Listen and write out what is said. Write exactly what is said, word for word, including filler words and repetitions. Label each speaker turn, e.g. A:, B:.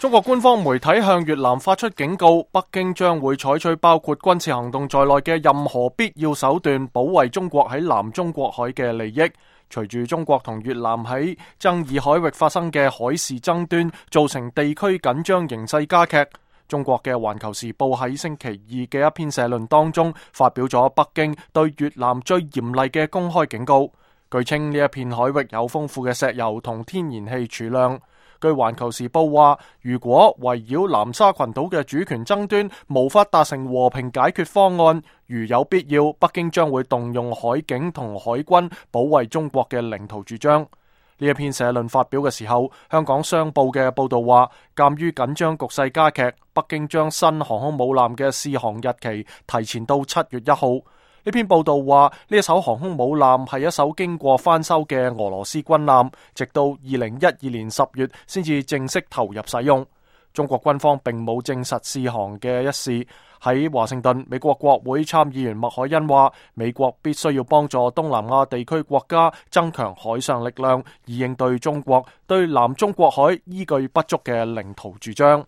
A: 中國官方媒體向越南發出警告，北京將會採取包括軍事行動在內嘅任何必要手段，保衛中國喺南中國海嘅利益。隨住中國同越南喺爭議海域發生嘅海事爭端，造成地區緊張形勢加劇。中國嘅《環球時報》喺星期二嘅一篇社論當中，發表咗北京對越南最嚴厲嘅公開警告。據稱呢一片海域有豐富嘅石油同天然氣儲量。據《環球時報》話，如果圍繞南沙群島嘅主權爭端無法達成和平解決方案，如有必要，北京將會動用海警同海軍保衛中國嘅領土主張。呢一篇社論發表嘅時候，香港商報嘅報道話，鑑於緊張局勢加劇，北京將新航空母艦嘅試航日期提前到七月一號。呢篇報道話，呢一艘航空母艦係一艘經過翻修嘅俄羅斯軍艦，直到二零一二年十月先至正式投入使用。中國軍方並冇證實試航嘅一事。喺華盛頓，美國國會參議員麥凱恩話，美國必須要幫助東南亞地區國家增強海上力量，以應對中國對南中國海依據不足嘅領土主張。